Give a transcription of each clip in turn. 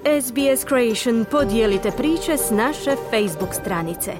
SBS Creation podijelite priče s naše Facebook stranice.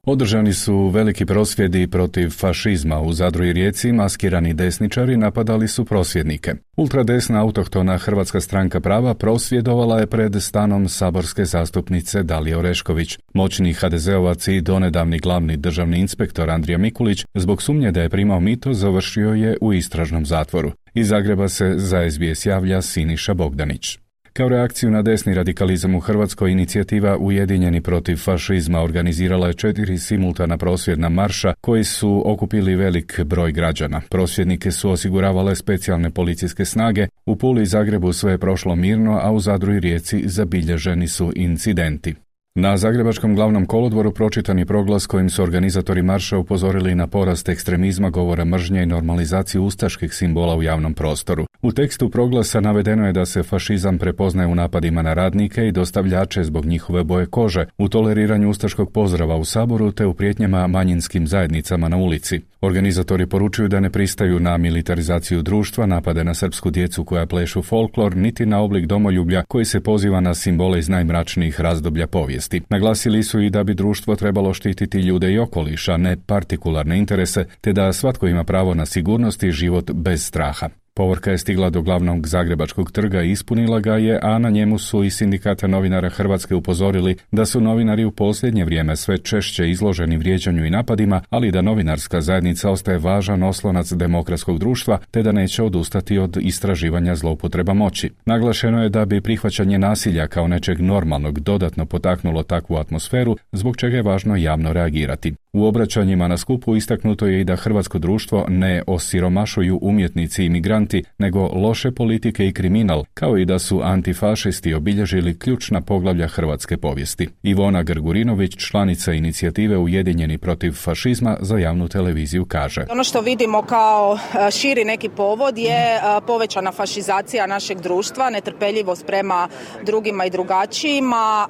Održani su veliki prosvjedi protiv fašizma u Zadru i Rijeci. Maskirani desničari napadali su prosvjednike. Ultradesna autohtona Hrvatska stranka prava prosvjedovala je pred stanom saborske zastupnice Dalije Orešković. Moćni HDZ-ovac i donedavni glavni državni inspektor Andrija Mikulić zbog sumnje da je primao mito završio je u istražnom zatvoru. Iz Zagreba se za SBS javlja Siniša Bogdanić. Kao reakciju na desni radikalizam u Hrvatskoj, inicijativa Ujedinjeni protiv fašizma organizirala je 4 simultana prosvjedna marša koji su okupili velik broj građana. Prosvjednike su osiguravale specijalne policijske snage. U Puli i Zagrebu sve je prošlo mirno, a u Zadru i Rijeci zabilježeni su incidenti. Na Zagrebačkom glavnom kolodvoru pročitan je proglas kojim su organizatori marša upozorili na porast ekstremizma, govora mržnje i normalizaciju ustaških simbola u javnom prostoru. U tekstu proglasa navedeno je da se fašizam prepoznaje u napadima na radnike i dostavljače zbog njihove boje kože, u toleriranju ustaškog pozdrava u Saboru te u prijetnjama manjinskim zajednicama na ulici. Organizatori poručuju da ne pristaju na militarizaciju društva, napade na srpsku djecu koja plešu folklor, niti na oblik domoljublja koji se poziva na simbole iz najmračnijih razdoblja povijesti. Naglasili su i da bi društvo trebalo štititi ljude i okoliš, a ne partikularne interese, te da svatko ima pravo na sigurnost i život bez straha. Povorka je stigla do glavnog zagrebačkog trga i ispunila ga je, a na njemu su i Sindikata novinara Hrvatske upozorili da su novinari u posljednje vrijeme sve češće izloženi vrijeđanju i napadima, ali da novinarska zajednica ostaje važan oslonac demokratskog društva, te da neće odustati od istraživanja zloupotreba moći. Naglašeno je da bi prihvaćanje nasilja kao nečeg normalnog dodatno potaknulo takvu atmosferu, zbog čega je važno javno reagirati. U obraćanjima na skupu istaknuto je i da hrvatsko društvo ne osiromašuju umjetnici i migranti, nego loše politike i kriminal, kao i da su antifašisti obilježili ključna poglavlja hrvatske povijesti. Ivona Grgurinović, članica inicijative Ujedinjeni protiv fašizma, za javnu televiziju kaže: Ono što vidimo kao širi neki povod je povećana fašizacija našeg društva, netrpeljivost prema drugima i drugačijima,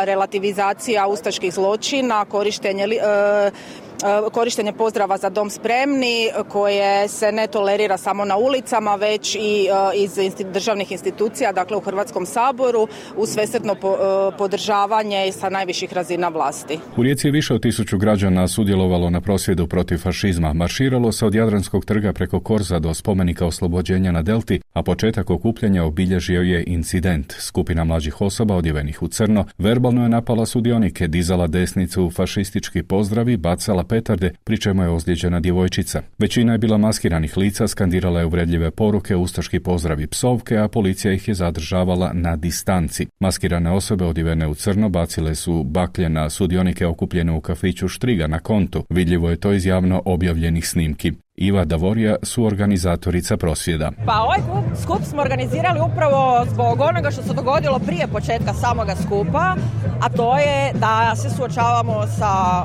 relativizacija ustaških zločina, korištenje pozdrava za dom spremni koje se ne tolerira samo na ulicama već i iz državnih institucija, dakle u Hrvatskom saboru, uz svesrdno podržavanje sa najviših razina vlasti. U Rijeci je više od 1000 građana sudjelovalo na prosvjedu protiv fašizma. Marširalo se od Jadranskog trga preko Korza do spomenika oslobođenja na Delti, a početak okupljanja obilježio je incident. Skupina mlađih osoba odjevenih u crno verbalno je napala sudionike, dizala desnicu, fašistički pozdravi, bacala petarde, pri čemu je ozlijeđena djevojčica. Većina je bila maskiranih lica, skandirala je uvredljive poruke, ustaški pozdravi, psovke, a policija ih je zadržavala na distanci. Maskirane osobe odjevene u crno bacile su baklje na sudionike okupljene u kafiću Štriga na Kontu. Vidljivo je to iz javno objavljenih snimki. Iva Davorija, suorganizatorica prosvjeda. Pa ovaj skup smo organizirali upravo zbog onoga što se dogodilo prije početka samoga skupa, a to je da se suočavamo sa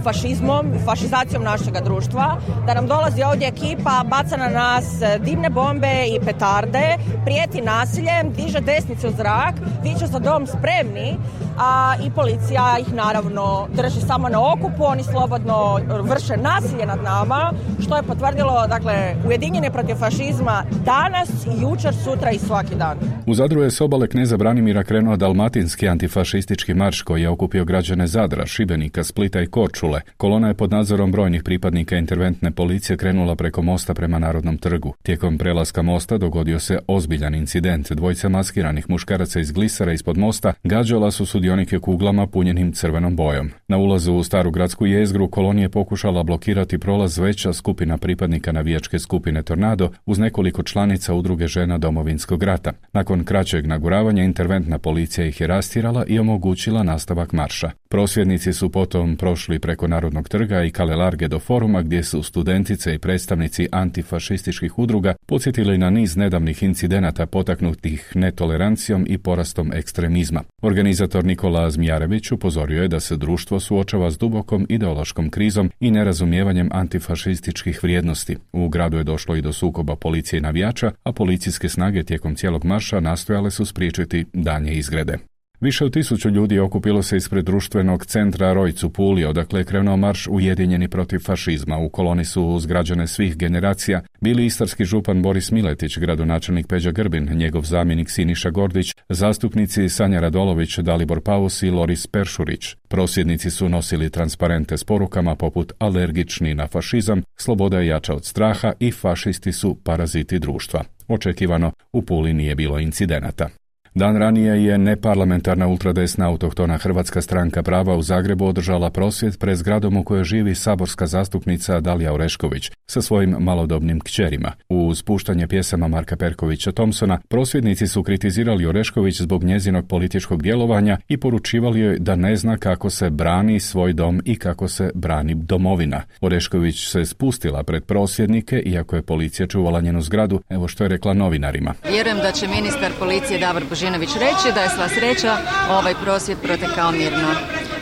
fašizmom, fašizacijom našega društva, da nam dolazi ovdje ekipa, baca na nas dimne bombe i petarde, prijeti nasiljem, diže desnice u zrak, viče za dom spremni, a i policija ih naravno drži samo na okupu, oni slobodno vrše nasilje nad nama, što je potvrdilo, dakle, Ujedinjeni protiv fašizma danas, jučer, sutra i svaki dan. U Zadru je s obale Kneza Branimira krenuo dalmatinski antifašistički marš koji je okupio građane Zadra, Šibenika, Splita i Korčule. Kolona je pod nadzorom brojnih pripadnika interventne policije krenula preko mosta prema Narodnom trgu. Tijekom prelaska mosta dogodio se ozbiljan incident. Dvojica maskiranih muškaraca iz glisera ispod mosta gađala su sudionike kuglama punjenim crvenom bojom. Na ulazu u staru gradsku jezgru kolonije pokušala blokirati prolaz veća skupina pripadnika navijačke skupine Tornado uz nekoliko članica udruge žena Domovinskog rata. Nakon kraćeg naguravanja interventna policija ih je rastjerala i omogućila nastavak marša. Prosvjednici su potom prošli preko Narodnog trga i Kale Large do foruma gdje su studentice i predstavnici antifašističkih udruga podsjetili na niz nedavnih incidenata potaknutih netolerancijom i porastom ekstremizma. Organizator Nikola Zmijarević upozorio je da se društvo suočava s dubokom ideološkom krizom i nerazumijevanjem antifašističkih vrijednosti. U gradu je došlo i do sukoba policije i navijača, a policijske snage tijekom cijelog marša nastojale su spriječiti daljnje izgrede. Više od 1000 ljudi okupilo se ispred društvenog centra Rojc u Puli, odakle je krenuo marš Ujedinjeni protiv fašizma. U koloni su uz građane svih generacija bili istarski župan Boris Miletić, gradonačelnik Peđa Grbin, njegov zamjenik Siniša Gordić, zastupnici Sanja Radolović, Dalibor Paus i Loris Peršurić. Prosvjednici su nosili transparente s porukama poput alergični na fašizam, sloboda je jača od straha i fašisti su paraziti društva. Očekivano, u Puli nije bilo incidenata. Dan ranije je neparlamentarna ultradesna autohtona Hrvatska stranka prava u Zagrebu održala prosvjed pred zgradom u kojoj živi saborska zastupnica Dalija Orešković sa svojim malodobnim kćerima. Uz puštanje pjesama Marka Perkovića Thompsona, prosvjednici su kritizirali Orešković zbog njezinog političkog djelovanja i poručivali joj da ne zna kako se brani svoj dom i kako se brani domovina. Orešković se spustila pred prosvjednike, iako je policija čuvala njenu zgradu, evo što je rekla novinarima. Vjerujem da će ministar policije Davor Božinović reći da je sva sreća ovaj prosvjed protekao mirno.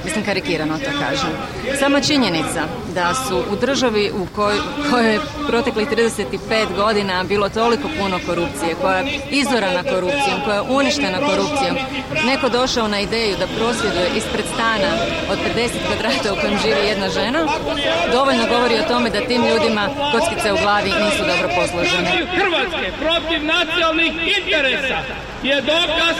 Mislim, karikirano to kažem. Sama činjenica da su u državi u kojoj je proteklih 35 godina bilo toliko puno korupcije, koja je izorana korupcijom, koja je uništena korupcijom, neko došao na ideju da prosvjeduje ispred stana od 50 kvadrata u kojem živi jedna žena, dovoljno govori o tome da tim ljudima kockice u glavi nisu dobro posložene. Hrvatske protiv nacionalnih interesa je dokaz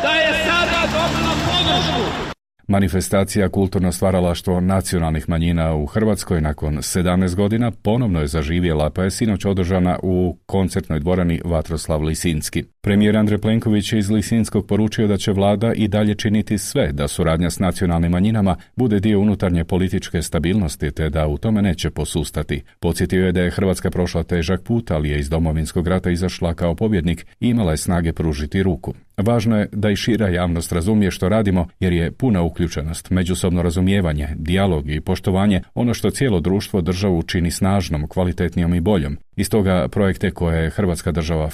da je sada dobila podršku. Manifestacija Kulturno stvaralaštvo nacionalnih manjina u Hrvatskoj nakon 17 godina ponovno je zaživjela, pa je sinoć održana u koncertnoj dvorani Vatroslav Lisinski. Premijer Andrej Plenković je iz Lisinskog poručio da će vlada i dalje činiti sve da suradnja s nacionalnim manjinama bude dio unutarnje političke stabilnosti, te da u tome neće posustati. Podsjetio je da je Hrvatska prošla težak put, ali je iz Domovinskog rata izašla kao pobjednik i imala je snage pružiti ruku. Važno je da i šira javnost razumije što radimo, jer je puna uključenost, međusobno razumijevanje, dijalog i poštovanje ono što cijelo društvo državu čini snažnom, kvalitetnijom i boljom. I stoga projekte koje Hrvatska država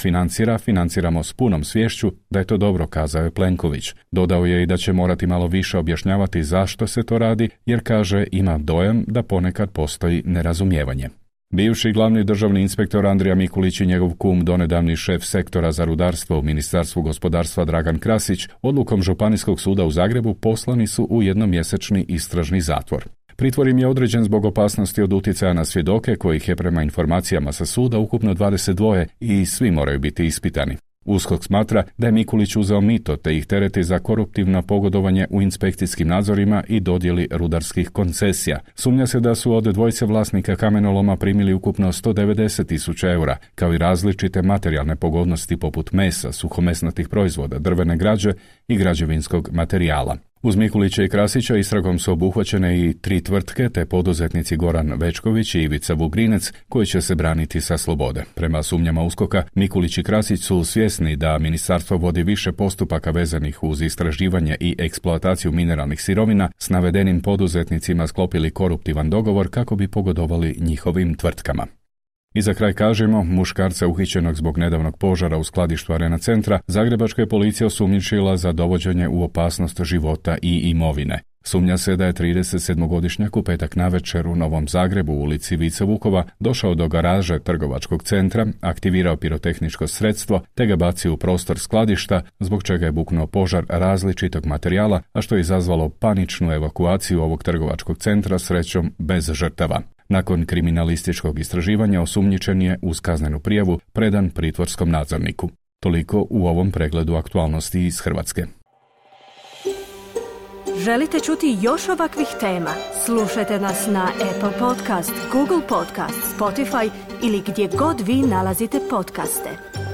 financiramo s punom sviješću da je to dobro, kazao je Plenković. Dodao je i da će morati malo više objašnjavati zašto se to radi, jer kaže ima dojam da ponekad postoji nerazumijevanje. Bivši glavni državni inspektor Andrija Mikulić i njegov kum, donedavni šef sektora za rudarstvo u Ministarstvu gospodarstva Dragan Krasić, odlukom Županijskog suda u Zagrebu poslani su u jednomjesečni istražni zatvor. Pritvor im je određen zbog opasnosti od utjecaja na svjedoke, kojih je prema informacijama sa suda ukupno 22 i svi moraju biti ispitani. USKOK smatra da je Mikulić uzeo mito te ih tereti za koruptivno pogodovanje u inspekcijskim nadzorima i dodjeli rudarskih koncesija. Sumnja se da su od dvojice vlasnika kamenoloma primili ukupno 190.000 eura, kao i različite materijalne pogodnosti poput mesa, suhomesnatih proizvoda, drvene građe i građevinskog materijala. Uz Mikulića i Krasića istragom su obuhvaćene i 3 tvrtke te poduzetnici Goran Večković i Ivica Vugrinec koji će se braniti sa slobode. Prema sumnjama USKOK-a, Mikulić i Krasić su svjesni da ministarstvo vodi više postupaka vezanih uz istraživanje i eksploataciju mineralnih sirovina, s navedenim poduzetnicima sklopili koruptivan dogovor kako bi pogodovali njihovim tvrtkama. I za kraj kažemo, muškarca uhićenog zbog nedavnog požara u skladištu Arena Centra, zagrebačka je policija osumnjičila za dovođenje u opasnost života i imovine. Sumnja se da je 37-godišnjak u petak navečer u Novom Zagrebu u ulici Vice Vukova došao do garaže trgovačkog centra, aktivirao pirotehničko sredstvo te ga bacio u prostor skladišta, zbog čega je buknuo požar različitog materijala, a što je izazvalo paničnu evakuaciju ovog trgovačkog centra, srećom bez žrtava. Nakon kriminalističkog istraživanja osumnjičen je uz kaznenu prijavu predan pritvorskom nadzorniku. Toliko u ovom pregledu aktualnosti iz Hrvatske. Želite čuti još ovakvih tema? Slušajte nas na Apple Podcast, Google Podcast, Spotify ili gdje god vi nalazite podcaste.